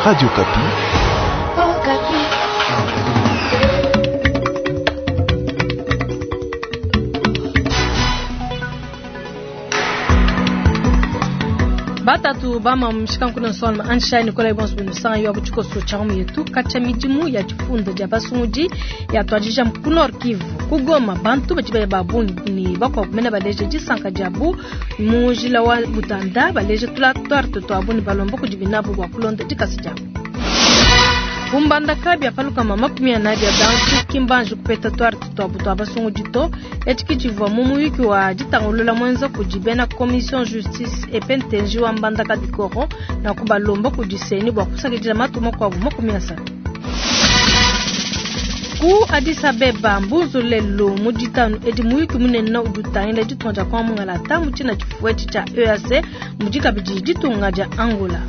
Radio Okapi. Batatu bama mushikanku nsonga ansha Nicolas Bonso bunusanga yo kuchikoso cha yetu kacha midimu ya difunda dia basungudi ya twajija ku Nord Kivu kugoma bantu badi baya babungi ni bakwa kumena baleje disanka diabu mu njila wa butanda baleje tula twarte twabu ni balomba kudibinabu bua kulonda dikasa diabu. Kumbandaka bia paluka 40 bia bantu kimbanji kupeta twarte twabu twa basungudi to etshi tshivua mu muyuki wa ditangulula mwenza kudi bena commission justice epentenji wa mbandaka dikoro na kubalomba kudi seni bua kusakidila matu makuabu 30. Ku Addis Abeba mbuzu lelo mu ditanu edi muyuki munene udi utangila ditunga dia kwa mungalata mu tshina tshifuetshi tshia EAC mudi kabidi ditunga dia Angola.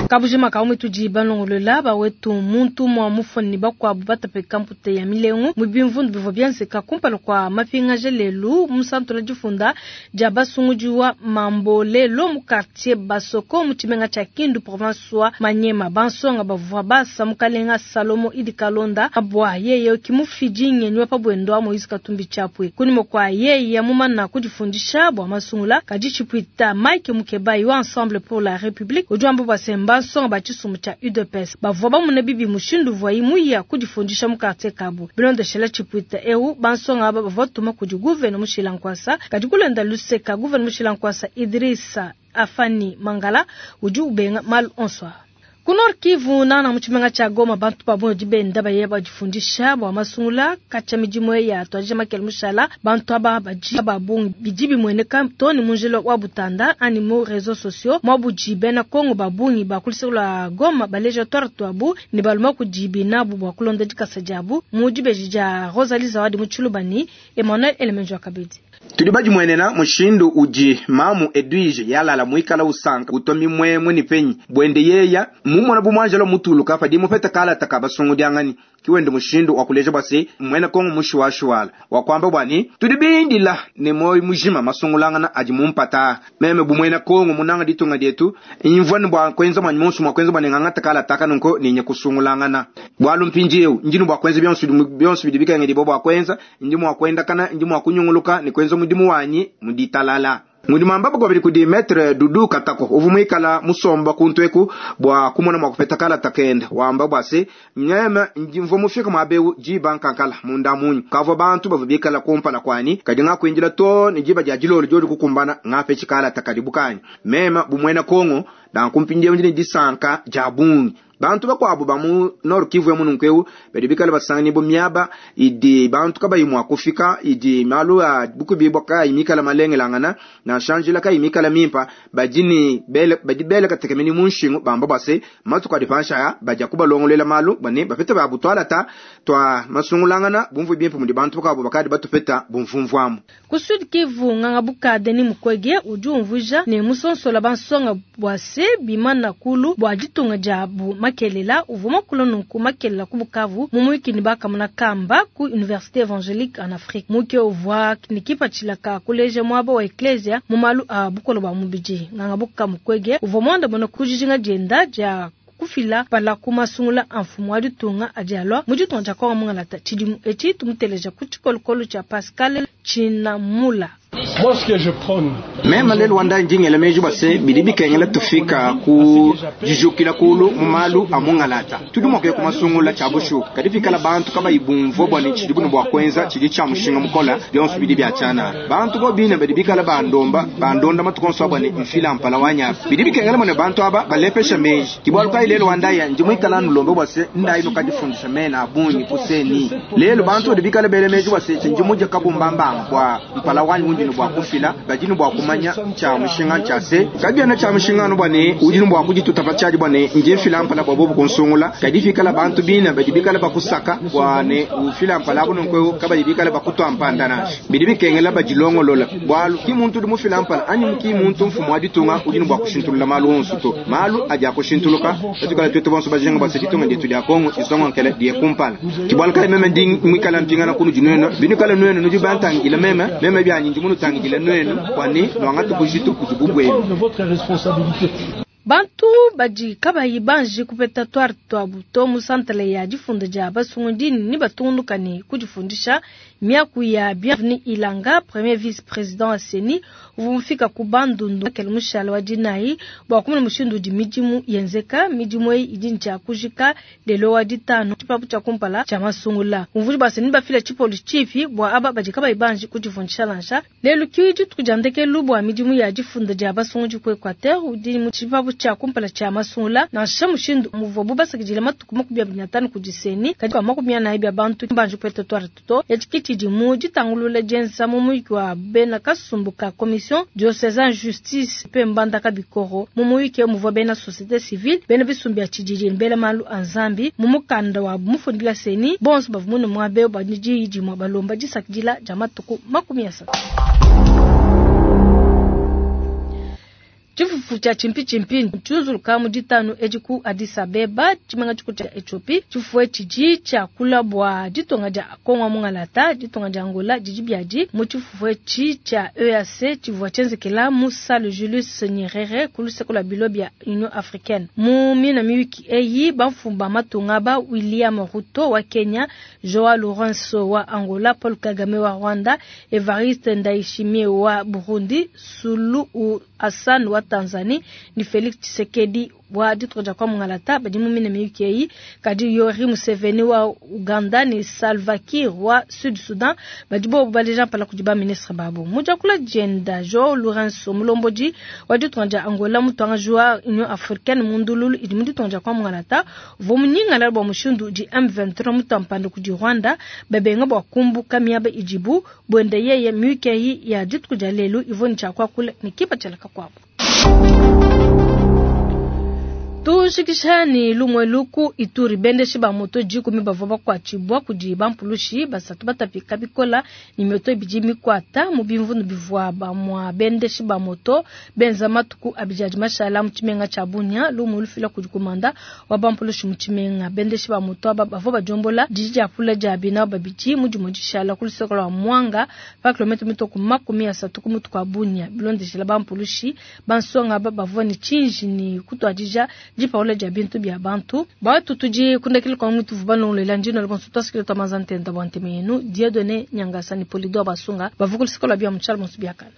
Kabujima ka umwe tudi balongolola bawetu muntu mwa mufoni bakwabu batapeka mpute ya milengu mu bimvundu bivua bienzeka kumpala kwa mapingaje lelu mu santu difunda dia basungudi wa Mambolelo mu quartier Basoko mu tshimenga tshia Kindu province wa Maniema. Bansonga bavua basa mukalenga Salomo Idi Kalonda abwa yeye kimufidi ngenyi wa pabwendo wa Moise Katumbi Chapwe kunimo kwa yeye mumana kudifundisha bwa masungula kadi tshipwita Mike Mukebayi wa Ensemble pour la République ujambo bwa semba bansonga ba tshisumbu tshia UDPS bavua bamuna bibi mushindu uvuayi muya kudifundisha mu quartier kabu. Bilondeshela tshipwita eu bansonga aba bavua tuma kudi gouverneur Mushila Nkwasa kadi kulenda luseka gouverneur Mushila Nkwasa Idrissa Afani Mangala udi ubenga malu onso. Ku Nord Kivu nana mu tshimenga tshia Goma bantu ba bungi benda baye badifundisha bua masungula katshia midimu ya twajija makele mushala bantu aba badi ba bungi bidi bimueneka to ni mu njila wa butanda ani mu réseaux sociaux mwabudi bena Kongo ba bungi ba kulisula Goma baleja twara twabu ni baluma kudi binabu bua kulonda dikasa diabu mu dibeji dia Rosalie Zawadi mu Tshilubani Emmanuel Elemenjo Kabedi. Tudi badimuenena mushindu udi mamu Edwige yalala muikala usanka utomi mwemwe ni penyi bwende yeya mumona bumwanjelo mutuluka padi mupeta kala taka basungudiangani kiwende mushindu wa kuleja bwase mwena Kongo mushiwashiwala wa kwamba bwani tudi bindila ne moyo mujima masungulangana adi mumpata meme bumwena Kongo munanga ditunga dietu imvwani bwa kwenza mwanyi monsu mwa kwenza bwani ngangata kala taka nunko ninye kusungulangana bwalu mpindieu ndinu bwa kwenza byonsu byonsu bidi bikenge dibo bwa kwenza ndi mwa kwenda kana ndi mwa kunyunguluka ni kwenza mudimu wanyi muditalala mudimu ambapo kwa kudi maître Dudu Katako uvu mwikala musomba kuntweku bwa kumona mwa kupeta kala takenda wamba bwase mnyama ndimvo mufika mwabeu jiba nkankala munda munyu kavo bantu bavu bikala kumpala kwani kadi ngakwinjila to ni jiba dia jilolo joli kukumbana ngape chikala takadibukanyi mema bumwena Kongo dan kumpindia ndini disanka jabungi bantu bakwabo ba mu Nord Kivu ya mununkweu badi bikala basangani bo miaba idi bantu kabayi mwa kufika idi malu a bukubi bwa kai mikala malengelangana na shanjila kai mikala mimpa badini bele badi bele katekemeni munshingu bamba base matuka dipansha ya baja kubalongolela malu bane bapeta ba butwala ta twa masungulangana bumvu bimpe mudi bantu bakabo bakadi batupeta bumvumvwamu. Ku Sud Kivu nganga buka Denis Mukwege udi umvuja ne musonsola bansonga bwase bimana kulu bwa ditunga diabu makelela uvua makulu nunku makelela ku Bukavu mu muyuki ne bakamuna kamba ku Université Évangélique en Afrique. Muke uvua ne kipatshila ka kuleja muaba wa eklesia mu malu a bukolo bua mubidi. Nganga buka Mukwege uvua muandamuna ku dijinga dienda dia kufila pala ku masungula a mfumu wa ditunga adi alua mu ditunga dia Kongo mungalata. Tshidimu etshi tumuteleja ku tshikolokolo tshia Pascal Tshinamula. Moi, ce que je prône, mema lelo wanda njingela meji bwase bidi bikengela tufika ku jijukila kulu mu malu a mungalata tudi mwa kuya ku masungula tshia bushu kadi fikala bantu kabayi bumvua bwa ne tshidi bunu bua kuenza tshidi tshia mushinga mukola bionso bidi bia tshianana bantu bo bine badi bikala bandomba bandonda matuku onso abwa ne mfila mpala wa nyapa bidi bikengela mone bantu aba balepesha meji kibwalu kayi lelo wandaya ndi muikala nulombe bwase ndayi nukadifundisha mena abungi kuseni lelo bantu badi bikala bele meji bwase ndi muja kabumbambanga bwa mpala wanyi undi bwa kufila badi bwa kumanya tshia mushinga tshia se kabiana tshia mushinga no bwa ne udi bwa kudituta pa tshiadi bwa ne nje mfila mpala bwa bobu kunsungula kadi fikala bantu bina badi bikala bakusaka bwa ne ufila mpala buno nko kabadi bikala bakutwa mpanda nashi bidi bikengela badilongolola bwalu ki muntu udi mufila mpala anyi ki muntu mfumu wa ditunga udi bwa kushintulula malu onso to malu adi akushintuluka batukala twetu bonso bajinga bwa se ditunga dietu dia Kongo isongo nkele die kumpala kibwalu kale meme ndi mwikala mpingana kunu dinweno binukala nwenu nudi bantangila meme meme byanyi ndi munutangila nwenu kwani Nuangate bujitu budi bu buenu. Bantu badi kabayi banji kupeta tuarte tuabu to mu santele ya difunda dia basungudi ne batungunuka ne kudifundisha. Miaku ya Bienvenu Ilanga, premier vice-president wa CENI, uvua mufika ku Bandundu kele mushala wa dinayi bua kumona mushindu udi midimu yenzeka. Midimu eyi idi ntshia kujika lelo wa ditanu tshipapu tshia kumpala tshia masungula. Umvudi bua CENI bafila tshipolu tshipi bua aba badi kabayi banji kudifundisha nansha. Lelu ki dituku dia ndekelu bua midimu ya difunda dia basungudi ku Equateur udi mu tshipapu tshia kumpala tshia masungula. Nansha mushindu muvuabu basakidila matuku 25 kudi CENI, kadi kwa 40 bia bantu banji kupeta tuarte to. Etshi tshidi mu ditangulula dienza mu muyuki wa bena kasumbu ka commission diocésaine justice pe mbandaka bikoro. Mu muyuki muvua bena société civile, bena bisumbu bia tshididi, bela malu a Nzambi. Mu mukanda wa mufundila CENI, bonso bavua mune muabe bua diyi dimue balomba disakidila dia matuku 30. Tshifufu tshia tshimpi-tshimpi tshiuzuluka mu ditanu edi ku Addis Abeba, tshimenga tshikulu tshia Ethiopie. Tshifufu etshi tshidi tshiakula bua ditunga dia Kongo Mungalata, ditunga dia Angola didi biadi mu tshifufu etshi tshia EAC tshivua tshienzekela mu salle Julius Nyerere ku luseke lua bilo bia Union Africaine. Mu mina miyuki eyi, bamfumu ba matunga ba William Ruto wa Kenya, Joao Lourenço wa Angola, Paul Kagame wa Rwanda, Evariste Ndayishimiye wa Burundi, Suluhu Hassan wa Tanzanie ni Felix Tshisekedi wa ditunga dia kwa Mungalata badi mu mina miyuki eyi. Kadi Yoweri Museveni wa Uganda ni Salva Kiir wa Sud Sudan badi bobu baleja mpala kudi ba ministre babo. Mu diakula dienda Joao Lourenço mulombodi wa ditunga dia Angola mutuangaji wa Union Africaine mu ndululu idi mu ditunga dia kwa Mungalata uvua munyingalala bua mushindu udi M23 mutampanda kudi Rwanda babenga bua kumbuka miaba idibu buenda yeye miyuki eyi ya dituku dia lelu ivua ne tshia kuakula ne kipatshila kakuabu. Tushikisha ni lumwe luku Ituri bendeshi ba moto 10 bavua bakuatshibua kudi bampulushi basatu batapika bikola ni moto ibidi mikwata mu bimvundu bivua bamua bendeshi ba moto benza matuku abidi mashala mu tshimenga tshia Bunia. Lumwe lufila kudi kumanda wa bampulushi mu tshimenga. Bendeshi ba moto aba bavua badiombola didi dia pula dia bina babidi mu dimue dishala ku luseke lua Mwanga pa kilomètre mitoku 30 ku mutu kwa Bunia. Bilondeshela bampulushi bansonga aba bavua ne tshinji ni kutuadija dipaula dia bintu bia bantu. Batu tudi kundekele kwa mutu vuba nongolela njino le bonso twasikile twa mazantenda bwa nteme yenu Dieudonné Nyangasa ni Polidor Basunga bavukulu sikola bia mutshala bonso biakana.